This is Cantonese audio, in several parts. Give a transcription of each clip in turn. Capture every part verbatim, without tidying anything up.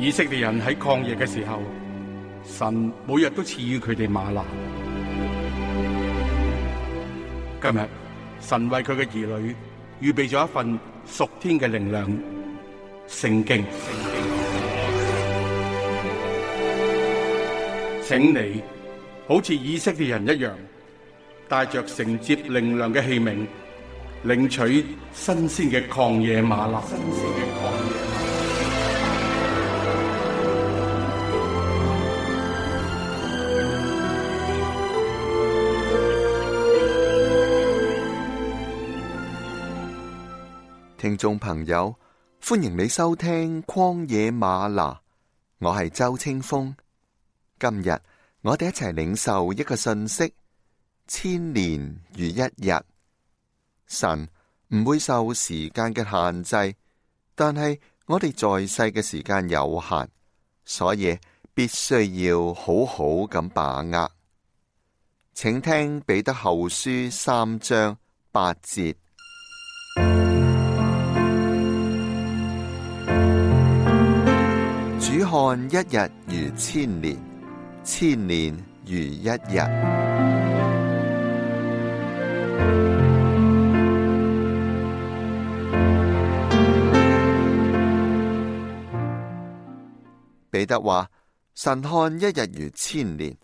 以色列人喺曠野嘅時候，神每日都賜予佢哋嗎哪。今日神為佢嘅兒女預備咗一份屬天嘅靈糧——聖經。請你好似以色列人一樣，帶着承接靈糧嘅器皿，領取新鮮嘅曠野嗎哪。聽眾朋友，歡迎你收聽曠野嗎哪，我係周清風。今日我哋一齊領受一個信息：千年如一日。神唔會受時間嘅限制，但係我哋在世嘅時間有限，所以必須要好好咁把握。請聽彼得後書三章八節。主看一日如千年，千年如一日。彼得話：神看一日如千年。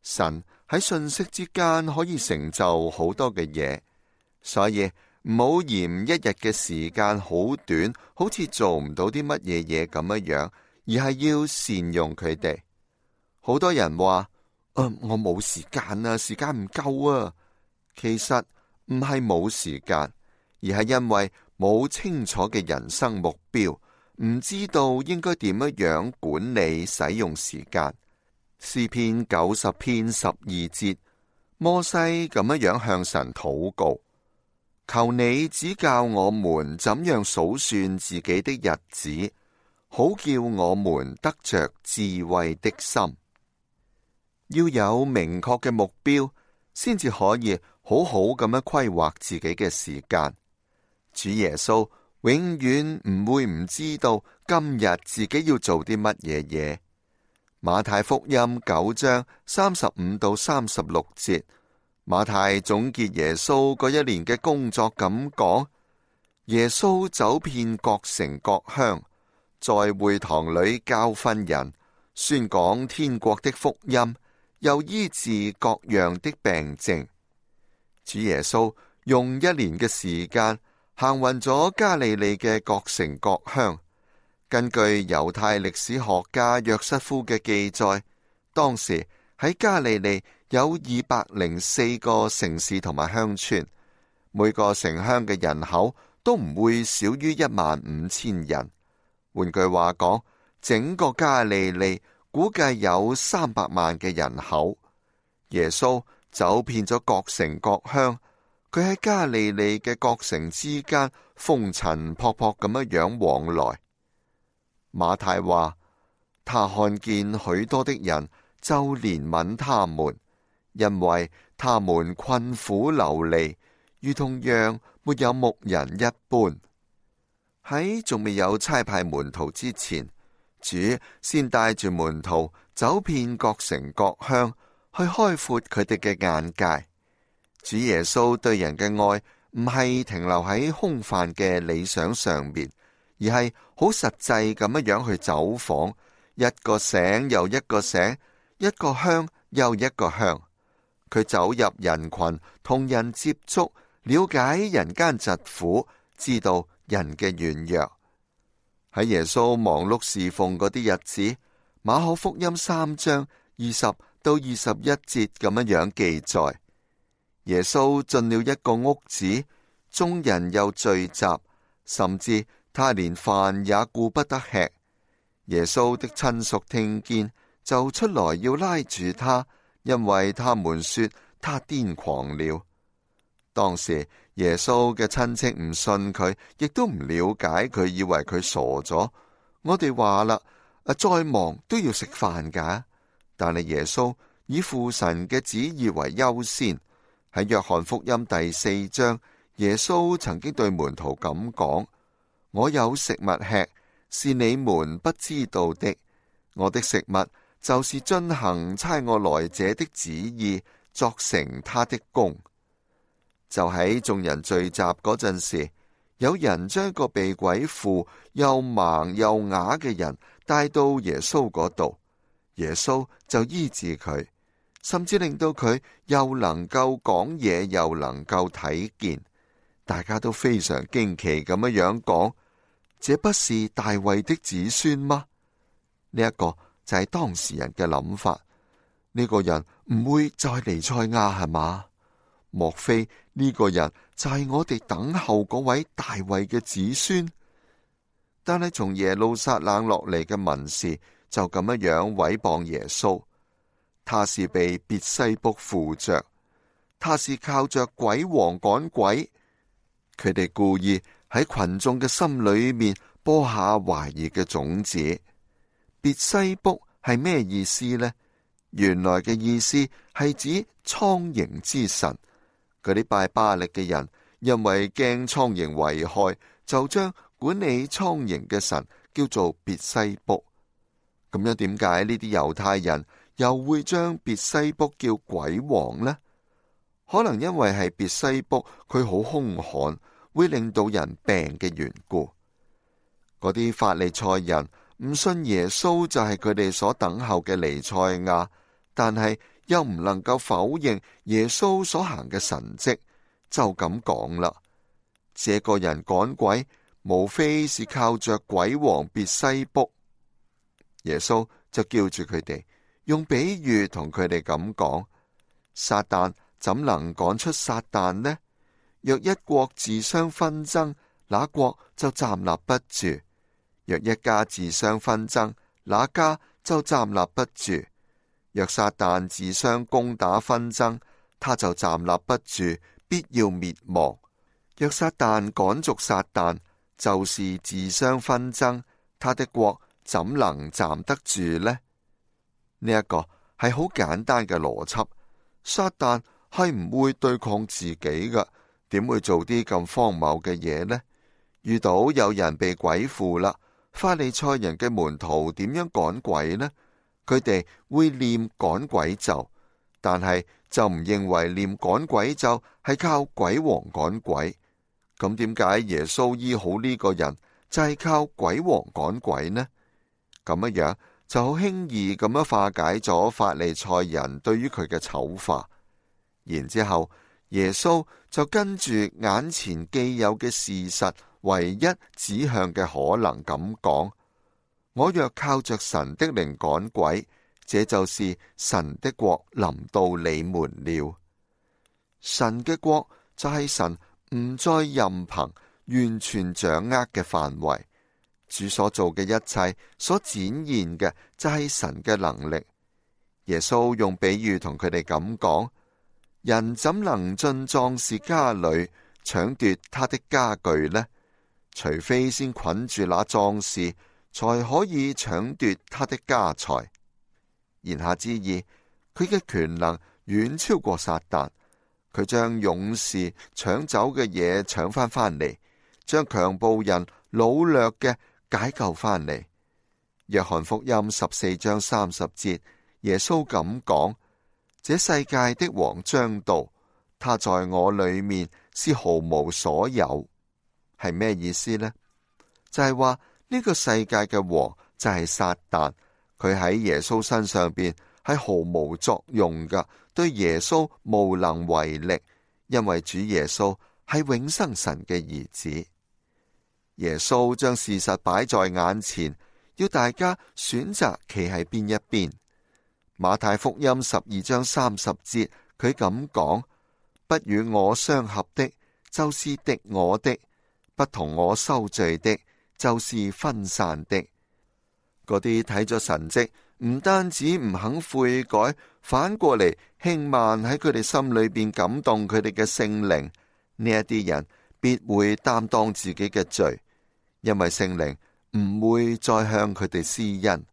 神喺瞬息之間可以成就好多嘅嘢，所以唔好嫌一日嘅時間好短，好似做唔到啲乜嘢嘢咁樣樣。而係要善用佢哋。好多人話：呃，我冇時間啊，時間唔夠啊。其實唔係冇時間，而係因為冇清楚嘅人生目標，唔知道應該點樣樣管理使用時間。詩篇九十篇十二節，摩西咁樣樣向神禱告：求你指教我們怎樣數算自己的日子，好叫我們得着智慧的心。要有明確嘅目標，先至可以好好咁樣規劃自己嘅時間。主耶穌永遠唔會唔知道今日自己要做啲乜嘢嘢。馬太福音九章三十五到三十六節，馬太總結耶穌嗰一年嘅工作咁講：耶穌走遍各城各鄉，在會堂裏教訓人，宣講天國的福音，又醫治各樣的病症。主耶穌用一年嘅時間行勻咗加利利嘅各城各鄉。根據猶太歷史學家約瑟夫嘅記載，當時喺加利利有二百零四個城市同埋鄉村，每個城鄉嘅人口都唔會少於一萬五千人。換句話講，整個加利利估計有三百萬嘅人口。耶穌走遍咗各城各鄉，佢喺加利利嘅各城之間風塵僕僕咁樣樣往來。馬太話：他看見許多的人，就憐憫他們，因為他們困苦流離，如同羊沒有牧人一般。喺仲未有差派門徒之前，主先帶住門徒走遍各城各鄉，去開闊佢哋嘅眼界。主耶穌對人嘅愛唔係停留喺空泛嘅理想上面，而係好實際咁樣樣去走訪一個省又一個省，一個鄉又一個鄉。佢走入人群，同人接觸，了解人間疾苦，知道人嘅軟弱。喺耶穌忙碌侍奉嗰啲日子，馬可福音三章二十到二十一節咁樣樣記載：耶穌進了一個屋子，眾人又聚集，甚至他連飯也顧不得吃。耶穌的親屬聽見，就出來要拉住他，因為他們說他癲狂了。當時耶穌嘅親戚唔信佢，亦都唔了解佢，以為佢傻咗。我哋話啦，再忙都要食飯噶。但係耶穌以父神嘅旨意為優先。喺約翰福音第四章，耶穌曾經對門徒咁講：我有食物吃，是你們不知道的。我的食物就是遵行差我來者的旨意，作成他的工。就喺眾人聚集嗰陣時，有人將一個被鬼附又盲又啞嘅人帶到耶穌嗰度，耶穌就醫治佢，甚至令到佢又能夠講嘢，又能夠睇見。大家都非常驚奇咁樣樣講：這不是大衛的子孫嗎？呢、這、一個就係當時人嘅諗法。呢、這個人唔會就係彌賽亞係嘛？莫非呢個人就係我哋等候嗰位大衛嘅子孫？但係從耶路撒冷落嚟嘅文士就咁樣樣毀謗耶穌。他是被別西卜附着，他是靠着鬼王趕鬼。佢哋故意喺群眾嘅心裏面播下懷疑嘅種子。別西卜係咩意思呢？原來嘅意思係指蒼蠅之神。嗰啲拜巴力嘅人因為驚蒼蠅危害，就將管理蒼蠅嘅神叫做別西卜。咁樣點解呢啲猶太人又會將別西卜叫鬼王呢？可能因為係別西卜佢好兇悍，會令到人病嘅緣故。嗰啲法利賽人唔信耶穌就係佢哋所等候嘅彌賽亞，但係又唔能夠否認耶穌所行嘅神蹟，就咁講啦。這個人趕鬼，無非是靠着鬼王別西卜。耶穌就叫住佢哋，用比喻同佢哋咁講：撒旦怎能趕出撒旦呢？若一國自相紛爭，那國就站立不住；若一家自相紛爭，那家就站立不住。若撒旦自相攻打紛爭，他就站立不住，必要滅亡。若撒旦趕逐撒旦，就是自相紛爭，他的國怎能站得住呢？呢、這、一個係好簡單嘅邏輯。撒旦係唔會對抗自己㗎，點會做啲咁荒謬嘅嘢呢？遇到有人被鬼附啦，法利賽人嘅門徒點樣趕鬼呢？佢哋會念趕鬼咒，但係就唔認為念趕鬼咒係靠鬼王趕鬼。咁點解耶穌醫好呢個人就係靠鬼王趕鬼呢？咁樣樣就好輕易咁樣化解咗法利賽人對於佢嘅醜化。然之後耶穌就跟住眼前既有嘅事實唯一指向嘅可能咁講：我若靠着神的靈趕鬼，這就是神的國臨到你們了。神嘅國就係神唔再任憑、完全掌握嘅範圍。主所做嘅一切所展現嘅就係神嘅能力。耶穌用比喻同佢哋咁講：人怎能進壯士家裏搶奪他的家具呢？除非先捆住那壯士，才可以搶奪他的家財。言下之意，佢嘅權能遠超過撒旦。佢將勇士搶走嘅嘢搶翻翻嚟，將強暴人擄掠嘅解救翻嚟。約翰福音十四章三十節，耶穌咁講：這世界的王將到，他在我裏面是毫無所有。係咩意思呢？就係話呢個世界嘅王就係撒旦，佢喺耶穌身上邊係毫無作用噶，對耶穌無能為力，因為主耶穌係永生神嘅兒子。耶穌將事實擺在眼前，要大家選擇企喺邊一邊。馬太福音十二章三十節，佢咁講：不與我相合的，就是敵我的；不同我收聚的，就是分散的。嗰啲睇咗神蹟，唔單止唔肯悔改，反過嚟輕慢喺佢哋心裏邊感動佢哋嘅聖靈，呢一啲人必會擔當自己嘅罪，因為聖靈唔會再向佢哋施恩。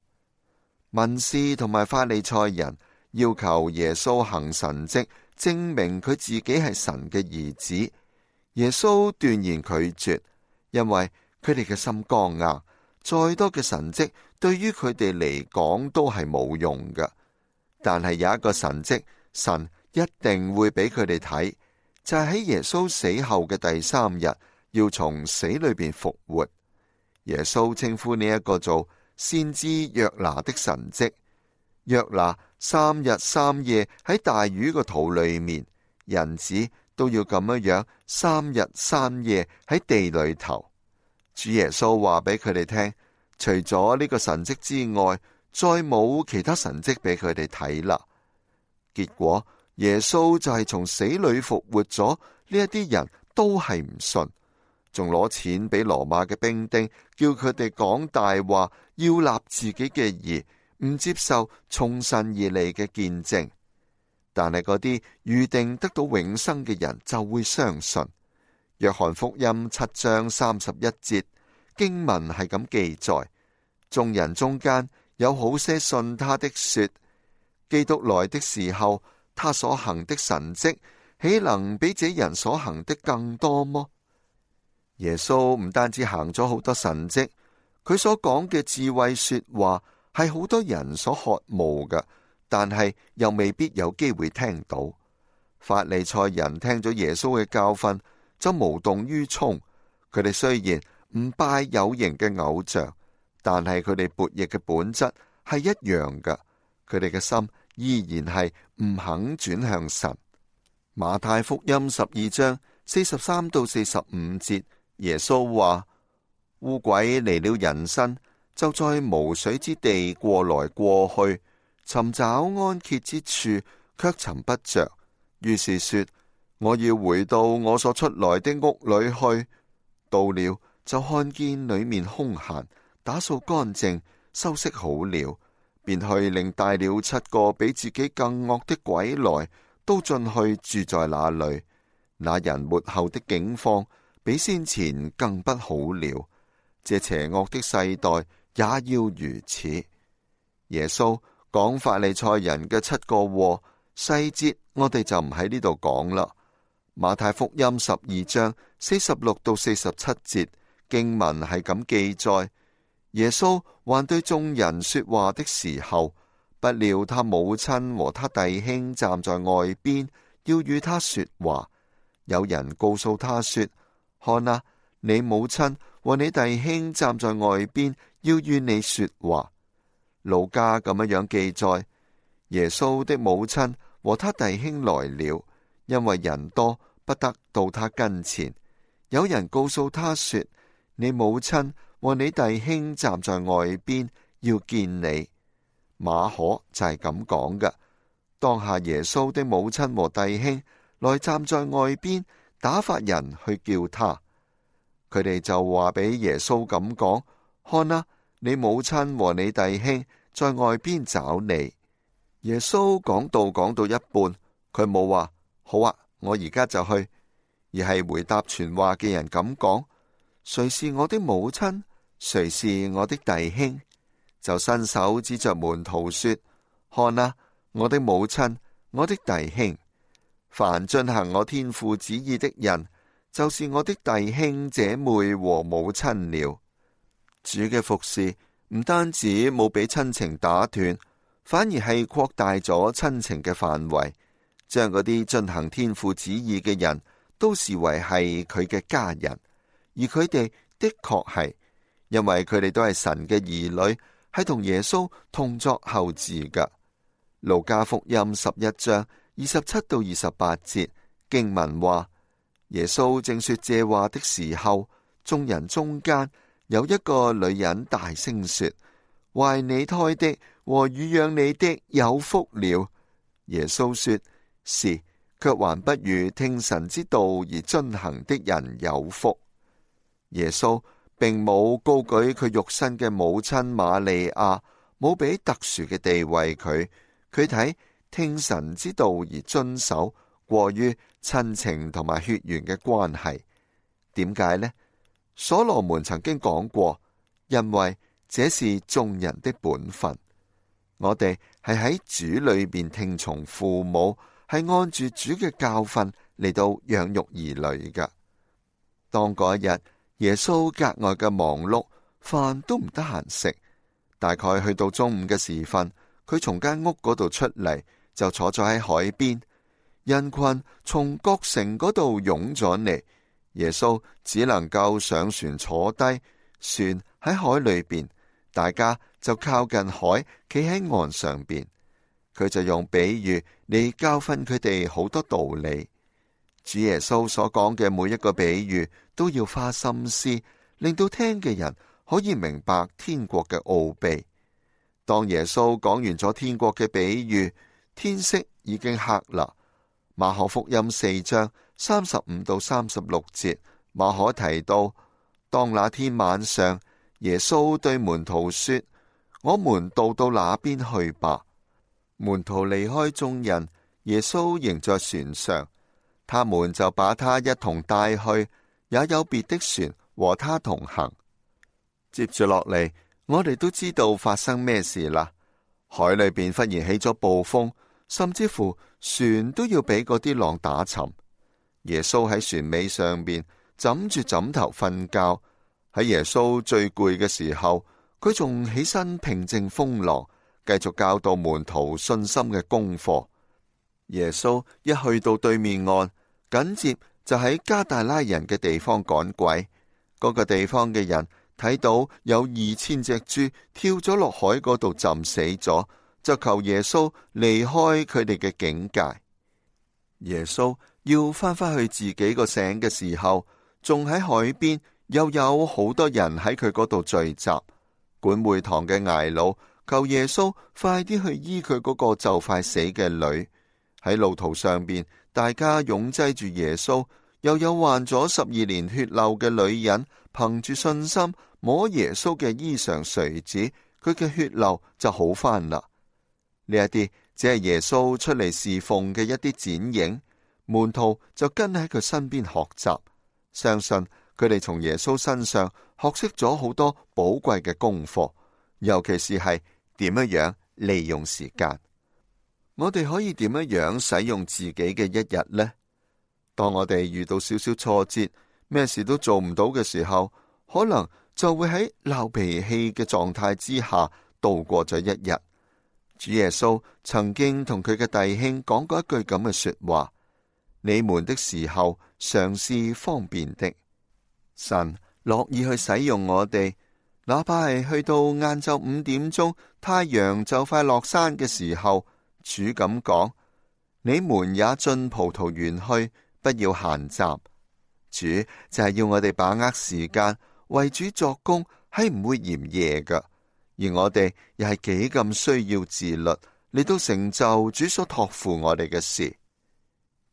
文士同埋法利賽人要求耶穌行神蹟，證明佢自己係神嘅兒子。耶穌斷然拒絕，因為佢哋嘅心剛硬，再多嘅神蹟對於佢哋嚟講都係冇用㗎。但係有一個神蹟，神一定會俾佢哋睇，就係喺耶穌死後嘅第三日，要從死裏邊復活。耶穌稱呼呢一個做先知約拿的神蹟。約拿三日三夜喺大魚個肚裏面，人子都要咁樣樣三日三夜喺地裏頭。主耶穌話俾佢哋聽，除咗呢個神蹟之外，再冇其他神蹟俾佢哋睇啦。結果耶穌就係從死裏復活咗，呢一啲人都係唔信，仲攞錢俾羅馬嘅兵丁，叫佢哋講大話，要立自己嘅義，唔接受從神而嚟嘅見證。但係嗰啲預定得到永生嘅人就會相信。約翰福音七章三十一節經文係咁記載：眾人中間有好些信他的說，基督來的時候，他所行的神蹟，豈能比這人所行的更多麼？耶穌唔單止行咗好多神蹟，佢所講嘅智慧說話係好多人所渴慕嘅，但係又未必有機會聽到。法利賽人聽咗耶穌嘅教訓，就無動於衷。佢哋雖然唔拜有形嘅偶像，但係佢哋悖逆嘅本質係一樣嘅。佢哋嘅心依然係唔肯轉向神。馬太福音十二章四十三到四十五節，耶穌話：污鬼離了人身，就在無水之地過來過去，尋找安歇之處，卻尋不着。於是說：我要回到我所出來的屋裏去。到了，就看見裏面空閒，打掃乾淨，收拾好了，便去另帶了七個比自己更惡的鬼來，都進去住在那裏。那人末後的境況比先前更不好了。這邪惡的世代也要如此。耶穌講法利賽人嘅七個禍，細節我哋就唔喺呢度講啦。馬太福音十二章四十六到四十七節經文係咁記載：耶穌還對眾人說話的時候，不料他母親和他弟兄站在外邊，要與他說話。有人告訴他說：看啊，你母親和你弟兄站在外邊，要與你說話。路加咁樣樣記載：耶穌的母親和他弟兄來了，因為人多，不得到他跟前。有人告訴他說：你母親和你弟兄站在外邊，要見你。馬可就係咁講嘅。當下耶穌的母親和弟兄來站在外邊，打發人去叫他。佢哋就話俾耶穌咁講：看啊，你母親和你弟兄在外邊找你。耶穌講道講到一半，佢冇話好啊，我而家就去，而係回答傳話嘅人咁講：誰是我的母親？誰是我的弟兄？就伸手指着門徒說：看啊，我的母親，我的弟兄。凡遵行我天父旨意的人，就是我的弟兄姐妹和母親了。主嘅服侍唔單止冇俾親情打斷，反而係擴大咗親情嘅範圍，將嗰啲遵行天父旨意嘅人都視為係佢嘅家人。而佢哋的確係，因為佢哋都係神嘅兒女，係同耶穌同作後嗣噶。路加福音十一章二十七到二十八節經文話：耶穌正說這話的時候，眾人中間有一個女人大聲說：懷你胎的和乳養你的有福了。耶穌說：是，卻還不如聽神之道而遵行的人有福。耶穌並冇高舉佢肉身嘅母親瑪利亞，冇俾特殊嘅地位佢。佢睇聽神之道而遵守，過於親情同埋血緣嘅關係。點解呢？所羅門曾經講過，因為這是眾人的本分。我哋係喺主裏邊聽從父母，係按住主嘅教訓嚟到養育兒女噶。當嗰一日耶穌格外嘅忙碌，飯都唔得閒食。大概去到中午嘅時分，佢從間屋嗰度出嚟，就坐咗喺海邊。人群從各城嗰度湧咗嚟，耶穌只能夠上船坐低，船喺海裏邊，大家就靠近海，企喺岸上邊。佢就用比喻嚟教訓佢哋好多道理。主耶穌所講嘅每一個比喻都要花心思，令到聽嘅人可以明白天國嘅奧秘。當耶穌講完咗天國嘅比喻，天色已經黑啦。馬可福音四章三十五到三十六節，馬可提到，當那天晚上，耶穌對門徒說：我們渡到那邊去吧。門徒離開眾人，耶穌仍在船上，他們就把他一同帶去，也有別的船和他同行。接住落嚟，我哋都知道發生咩事啦。海裏邊忽然起咗暴風，甚至乎船都要俾嗰啲浪打沉。耶穌喺船尾上邊枕住枕頭瞓覺。喺耶穌最攰嘅時候，佢仲起身平靜風浪，繼續教導門徒信心嘅功課。耶穌一去到對面岸，緊接就喺加大拉人嘅地方趕鬼。嗰、那個地方嘅人睇到有二千隻豬跳咗落海嗰度浸死咗，就求耶穌離開佢哋嘅境界。耶穌要翻返去自己個省嘅時候，仲喺海邊又有好多人喺佢嗰度聚集。管會堂嘅睚魯求耶穌快啲去醫佢嗰個就快死嘅女。喺路途上邊，大家擁擠住耶穌，又有患咗十二年血漏嘅女人，憑住信心摸耶穌嘅衣裳垂子，佢嘅血漏就好返啦。呢一啲只係耶穌出嚟侍奉嘅一啲剪影，門徒就跟喺佢身邊學習，相信佢哋從耶穌身上學識咗好多寶貴嘅功課，尤其是係點樣樣利用時間。我哋可以點樣樣使用自己嘅一日呢？當我哋遇到少少挫折，咩事都做唔到嘅時候，可能就會喺鬧脾氣嘅狀態之下度過咗一日。主耶穌曾經同佢嘅弟兄講過一句咁嘅說話：你們的時候常是方便的。神樂意去使用我哋，哪怕係去到晏晝五點鐘，太陽就快落山嘅時候。主咁講：你們也進葡萄園去，不要閒雜。主就係要我哋把握時間，為主作工，係唔會嫌夜㗎。而我哋又係幾咁需要自律，嚟到成就主所託付我哋嘅事。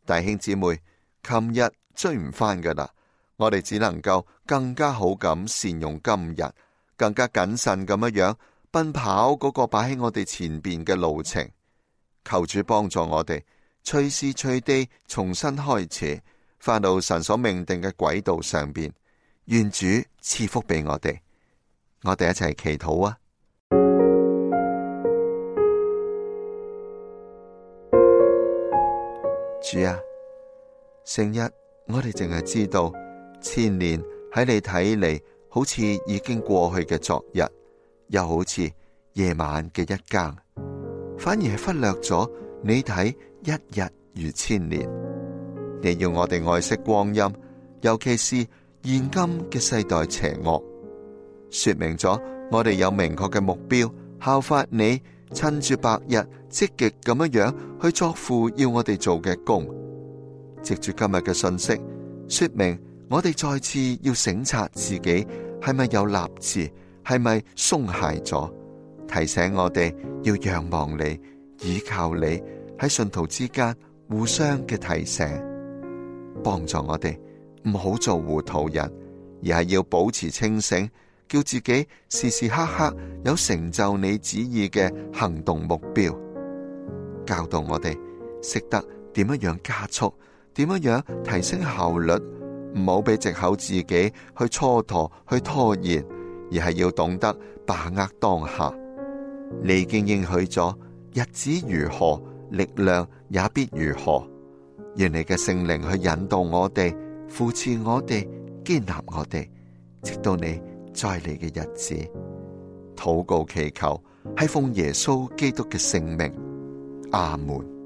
弟兄姊妹，琴日追唔返㗎啦，我哋只能夠更加好咁善用今日，更加謹慎咁樣樣奔跑嗰個擺喺我哋前邊嘅路程。求主幫助我哋，隨時隨地重新開始，返到神所命定嘅軌道上邊。願主賜福俾我哋，我哋一齊祈禱啊！主啊，成日我哋淨係知道千年喺你睇嚟好似已經過去嘅昨日，又好似夜晚嘅一更。反而係忽略咗你睇一日如千年。你要我哋愛惜光陰，尤其是現今嘅世代邪惡，說明咗我哋有明確嘅目標，效法你，趁住白日積極咁樣樣去作父要我哋做嘅工。藉住今日嘅信息，說明我哋再次要省察自己係咪有立志，係咪鬆懈咗。提醒我哋要仰望你，倚靠你，喺信徒之間互相嘅提醒，幫助我哋唔好做糊塗人，而係要保持清醒，叫自己時時刻刻有成就你旨意嘅行動目標。教導我哋識得點樣樣加速，點樣樣提升效率，唔好俾藉口自己去蹉跎、去拖延，而係要懂得把握當下。你已經應許咗，日子如何，力量也必如何。願你嘅聖靈去引導我哋，扶持我哋，堅立我哋，直到你再嚟嘅日子。禱告祈求係奉耶穌基督嘅聖名，阿門。